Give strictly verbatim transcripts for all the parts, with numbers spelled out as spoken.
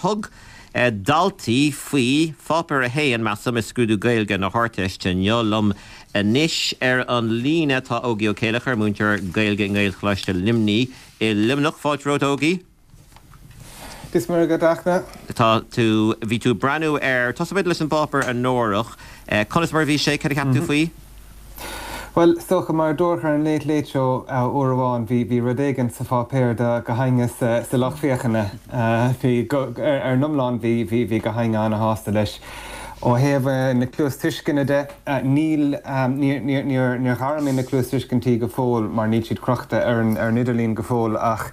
Thug daltaí faoi pháipéar a haon measaim i scrúdú Gaeilge na hArdteiste inniu liom anois ar an líne tá Ógie Ó Céilleachair múinteoir Gaeilge i nGaelcholáiste Luimnigh i Luimneach fáilte romhat Ógie. Is mar go dachna? Tá tú bhí tú breathnú ar tosóimid leis an bpáipéar anórach conas mar bhí sé cad a cheap tú faoi? Well socha mar dúirt ar an Late Late Show uair amháin bhí bhí rud éigin sa pháipéar do gach éinne sa sa lucht féachana bhí ar ar an iomlán bhí bhí bhí gach éinne an-shásta leis. Ó thaobh na cluastuisceana de níl níor ghair mé na cluastuiscintí go fóill mar níl siad crochta ar an ar an idirlíon go fóill ach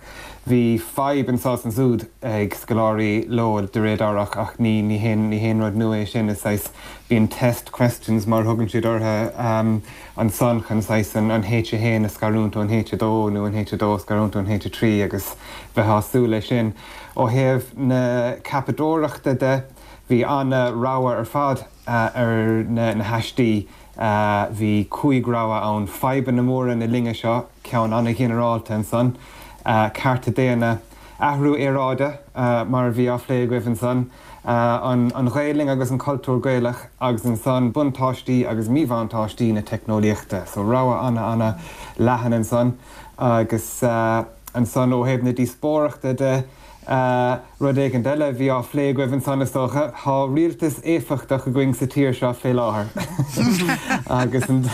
bhí fadhb anseo is ansiúd ag scoláirí leo de réir dealraimh ach ní ní haon ní haon rud nua é sin is é bíonn test questions mar thugann siad orthu um, ansan chun saghas an an H a haon a scarúint ón H a dó nó an H a dó scarúint ón H a trí agus bheith sásúil leis sin. Ó thaobh na ceapadóireachta de bhí an-rogha ar fad uh, ar na, na haistí uh, bhí cúig rogha ann fadhbanna móra na linne seo ceann an-ghinearálta ansan. Uh, cearta daonna athrú aeráide uh, mar bhí á phlé agaibh ansan, uh, an, an Ghaeilge agus an cultúr Gaelach agus ansan buntáistí agus míbhuntáistí na teicneolaíochta, so rogha an- an-leathan ansan agus uh, ansan ó thaobh na díospóireachta de Uh, rud éigin eile bhí á phlé agaibh ansan is dócha tá rialtas éifeachtach againn sa tír seo fé láthair. agus an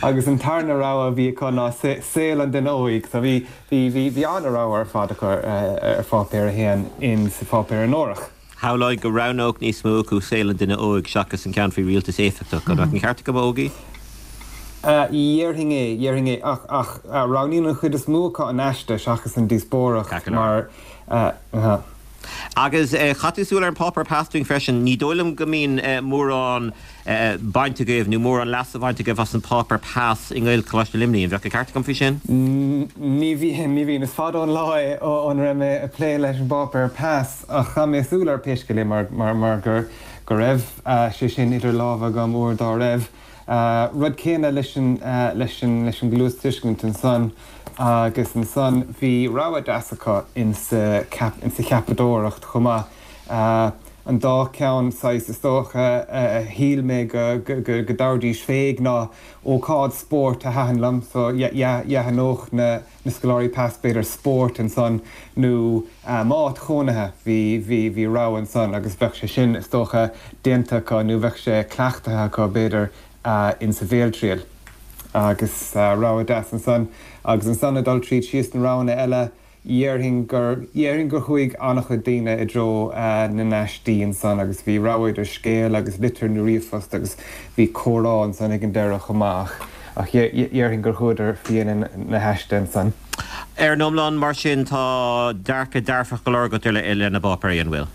agus an tarna rogha bhí acu ná saol an duine óig, so bhí bhí bhí an-rogha ar fad acu ar pháipéar a haon in sa pháipéar anórach. Shamhlóinn go roghnódh níos mó acu saol an duine óig seachas an ceann faoi rialtas éifeachtach an an ceart agam Ógie? Déarfainn é déarfainn é ach ach roghnaíonn an chuid is mó acu an aiste seachas an díospóireacht mar uh, Agus chaith tú súil ar an páipéar PAS dúinn freisin ní dóigh liom go mbíonn mórán baint agaibh nó mórán leas bainte agaibh as an páipéar PAS i nGaelcholáiste Luimnigh, an bheadh ceart agam faoi sin? Ní bhí ní bhíonn is fada an lá ón raibh mé ag plé leis an bpáipéar PAS ach chaith mé súil air pé scéal é mar mar mar gur go raibh sé sin idir lámha agam uair dá raibh. Uh, rud céanna leis an uh, leis an leis an gcluastuiscint ansan agus ansan bhí rogha deas acu insa insa cheapadóireacht chomh maith. Uh, an dá ceann saghas is dócha a shíl mé go go go dtabharfaidís faoi ná ócáid spóirt a thaitin liom, so dheathanóch na na scoláirí PAS b'fhéidir spórt ansan nó áit chónaithe bhí bhí bhí rogha ansan agus bheadh sé sin is dócha déanta acu nó bheadh sé cleachtaithe acu b'fhéidir uh, insa bhéaltriail. agus uh, rogha deas ansan agus ansan ag dul tríd síos na roghanna eile dhéarfainn gur dhéarfainn gur chuaigh an-chuid daoine i dtreo uh, na n-aistí ansan agus bhí rogha idir scéal agus litir nó ríomhphost agus bhí comhrá ansan ag an deireadh chomh maith ach dhéarfainn gur chuadar faoi na haistí ansan. Ar an iomlán mar sin tá dearcadh dearfach go leor agat ar le na páipéirí an bhfuil.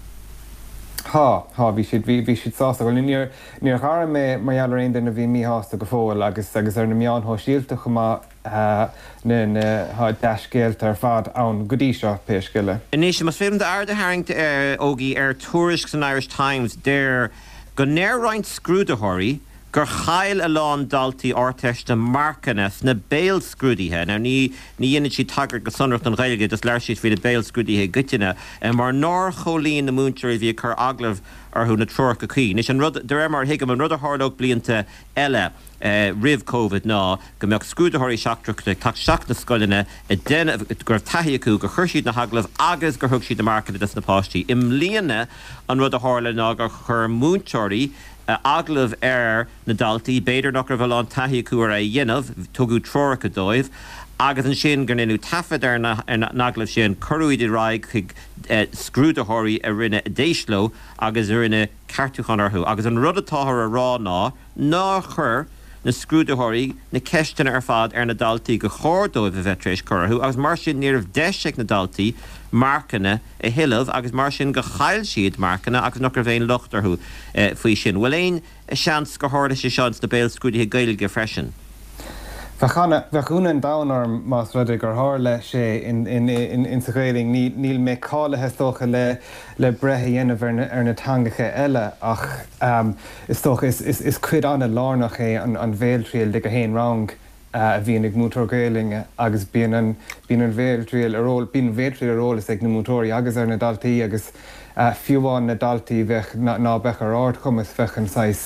Tá tá bhí siad bhí siad sásta well níor níor ghair mé mar gheall ar aon duine a bhí míshásta go fóill agus agus ar na meáin shóisialta chomh maith na na tá dea-scéalta ar fad ann go dtí seo pé scéal é. Anois más féidir d'aird a tharraingt ar Ógie ar tuairisc san Irish Times deir go ndeir roinnt scrúdaitheoirí gur chaill a lán daltaí Ardteiste marcanna sna béalscrúduithe. Now ní ní dhéanann siad tagairt go sonrach don Ghaeilge just labhair siad faoi na béalscrúduithe i gcoitinne, mar nár chomhlíon na múinteoirí bhí ag cur agallamh orthu na treoracha cuí. Anois an rud de réir mar thuigim an rud a tharlódh blianta eile eh, roimh COVID ná go mbeadh scrúdaitheoirí seachtracha ag teacht isteach na scoileanna ag déanamh go raibh taithí acu gur chuir siad na hagallaimh agus gur thug siad na marcanna dos na páistí. I mbliana an rud a tharla ná gur chuir múinteoirí agallamh ar na daltaí, b'fhéidir nach raibh a lán taithí acu ar é a dhéanamh, tugadh treoracha dóibh, agus ansin gur rinneadh taifead ar na hagallaimh sin cuireadh iad ar aghaidh chuig scrúdaitheoirí a rinne d'éist leo agus a rinne ceartúchán orthu. Agus an rud atáthar a rá ná nár chuir na scrúdaitheoirí na ceisteanna ar fad ar na daltaí gur chóir dóibh a bheith tar éis cur orthu, agus mar sin ní raibh deis ag na daltaí marcanna a thuilleamh agus mar sin gur chaill siad marcanna agus nach raibh aon locht orthu faoi sin. Bhfuil aon seans gur tharla sé seo sna béalscrúduithe Gaeilge freisin? Bheadh bheadh ionadh an domhain orm más rud é gur tharla sé in, in, in, in sa Ghaeilge níl, níl mé cáilithe is dócha le, le breith a dhéanamh ar na, ar na teangacha eile ach um, is dócha is, is, is cuid an-lárnach é an, an bhéaltriail de gach aon rang a bhíonn ag múinteoir Gaelainne agus bíonn an bíonn an bhéaltriail ar eol bíonn bhéaltriail ar eolas ag na múinteoirí agus ar na daltaí agus fiú amháin na daltaí bheadh ná beadh ar ardchumas bheadh an saghas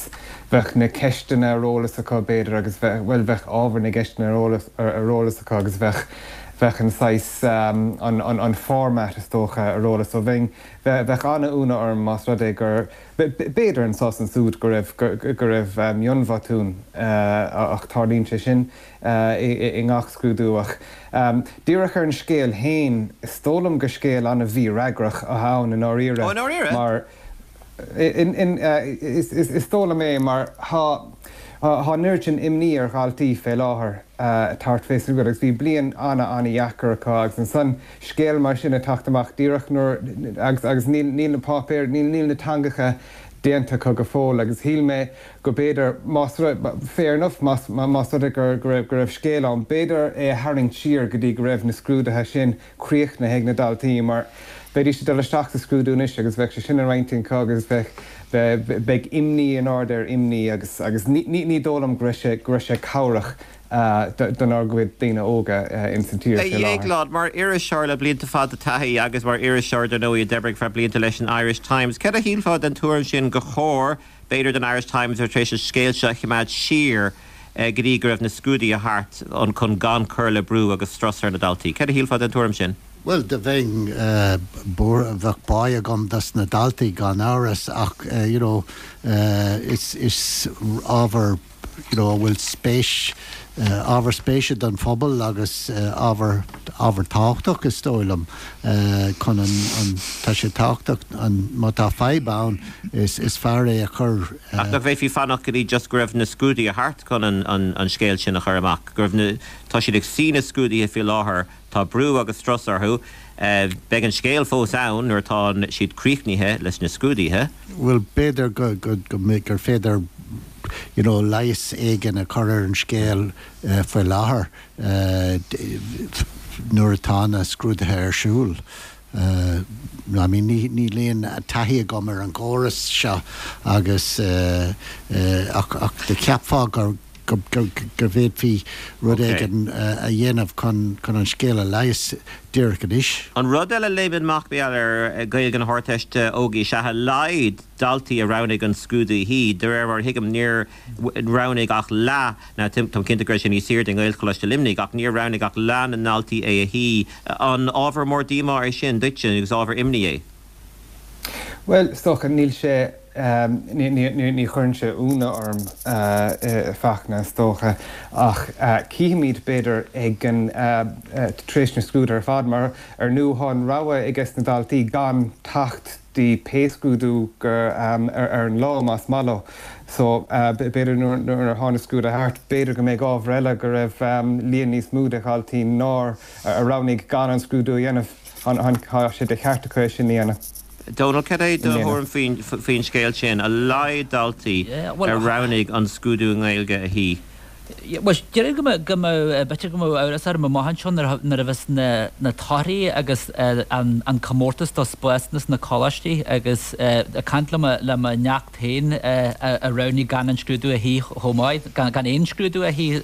bheadh na ceisteanna ar eolas acu b'fhéidir agus bheadh bhuel bheadh ábhar na gceisteanna ar eolas ar eolas acu agus bheadh bheadh an saghas an an an format is dócha ar eolas so bheinn bheadh an-ionadh orm más rud é gur b'fhéidir anso is ansúd go raibh go raibh mionbhotún ach tarlaíonn sé sin i ngach scrúdú ach díreach ar an scéal féin is dóigh liom gur scéal an-mhífhreagrach atá ann i ndáiríre Ó i ndáiríre? mar is dóigh liom é mar tá Tá an oiread sin imní ar dhaltaí fé láthair thart fé sin agus bhí bliain ana-ana-dheacair acu agus ansan scéal mar sin ag teacht amach díreach nuair agus agus níl níl na páipéir níl níl na teangacha déanta acu go fóill agus shíl mé go b'fhéidir más rud fair enough más más rud é gur go raibh go raibh scéal ann b'fhéidir é a tharraingt siar go dtí go raibh na scrúduithe sin críochnaithe ag na daltaí mar bheidís ag dul isteach sa scrúdú anois agus bheadh sé sin ar intinn acu agus bheadh beidh imní in ard ar imní agus agus ní ní dóigh liom go raibh sé go raibh sé cabhrach donár gcuid daoine óga ins an tír A fé láthair. Dhéagláin, mar iriseoir le blianta fada taithí agus mar iriseoir dar ndóigh a d'oibrigh feadh blianta leis an Irish Times, céard a shílfeá den tuairim sin gur chóir, b'fhéidir, don Irish Times a bheith tar éis an scéal seo a choimeád siar go dtí go raibh na scrúduithe thart chun gan cur le brú agus strus ar na daltaí? Céard a shílfeá den tuairim sin? Bhuel, do bheinn bheadh bá agam dos na daltaí gan amhras ach you know is is ábhar you know a bhfuil spéis ábhar spéise don phobal agus ábhar ábhar tábhachtach is dóigh liom chun an an tá sé tábhachtach an má tá fadhb ann is is fearr é a chur Ach nach bhféadfaí fanacht go dtí just go raibh na scrúduithe thart chun an an an scéal sin a chur amach, go raibh na tá siad ag suí na scrúduithe faoi láthair Tá brú agus strus orthu. Beidh an scéal fós ann nuair atá siad críochnaithe leis na scrúduithe. Bhuel, b'fhéidir go, go, go, gur féidir you know leigheas éigin a chur ar an scéal faoi láthair nuair atá na scrúduithe ar siúl. I mean ní, níl aon taithí agam ar an gcóras seo agus ach, ach do cheapfá gur, go bhféadfaí rud éigin a dhéanamh chun an scéal a leigheas díreach anois. An rud eile a léimeann amach mar gheall ar Ghaeilge na hArdteiste Ógie is ea a laghad daltaí a roghnaigh an scrúdú a shuí. De réir mar a thuigim níor roghnaigh ach leath, nó táim cinnte go raibh sé níos airde i nGaelcholáiste Luimnigh, ach níor roghnaigh ach leath na ndaltaí é a shuí. An ábhar mór díomá é sin duitse agus ábhar imní é? Bhuel, is dócha, níl sé, ní chuireann sé ionadh orm fachtna, is dócha, ach cífimid, b'fhéidir, ag an, tar éis na scrúduithe ar fad, mar ar ndú tá an rogha ages na daltaí gan teacht dtí pé scrúdú gur ar an lá, más maith leo. So, b'fhéidir nuair atá na scrúduithe thart, b'fhéidir go mbeidh ábhar eile go raibh líon níos mó de dhaltaí nár, a roghnaigh gan an scrúdú a dhéanamh. Tá sé de cheart acu é sin a dhéanamh. Dónal, cad é do thuairim faoin scéal sin, a laghad daltaí a roghnaigh an scrúdú i nGaeilge a shuí? Bhuel, déarfainn go mbeadh, go mbeadh, b'fhéidir go mbeadh amhras orm amach anseo nuair a bheas na torthaí agus an comórtas do spásanna sna coláistí agus ag caint le mo, le mo neacht féin a roghnaigh gan an scrúdú a shuí chomh maith, gan aon scrúdú a shuí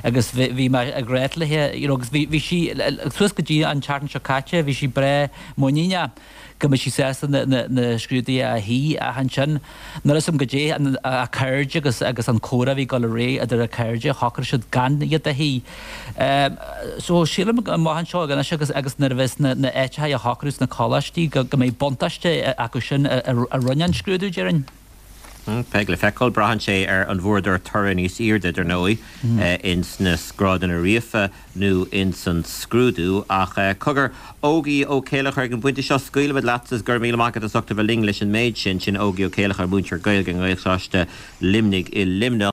agus bhí mé ag ráit léi, you know, agus bhí, bhí sí, suas go dtí an tseachtain seo caite, bhí sí breá muiníneach go mbeadh sí sásta na scrúduithe a shuí ach ansin níl a fhios agam goidé a cairde agus agus an comhrá a bhí ag dul ar aghaidh idir a cairde, shocraigh siad gan iad a shuí. So sílim amach anseo anois agus agus nuair a bheas na na áiteacha á shocrú sna coláistí go go mbeidh buntáiste acu sin a a rinne an scrúdú, déarfainn. Beidh le feiceáil. Braitheann sé ar an bhfuaireadar toradh níos airde, dar ndóigh, ins na grádanna ríofa nó ins an scrúdú. Ach cogar, Ógie Ó Céileachair, ag an bpointe seo, scaoilfimid leat agus go raibh míle maith agat as ucht a bheith linn leis an méid sin. Sin Ógie Ó Céileachair, múinteoir Gaeilge i nGaelcholáiste Luimnigh i Luimneach.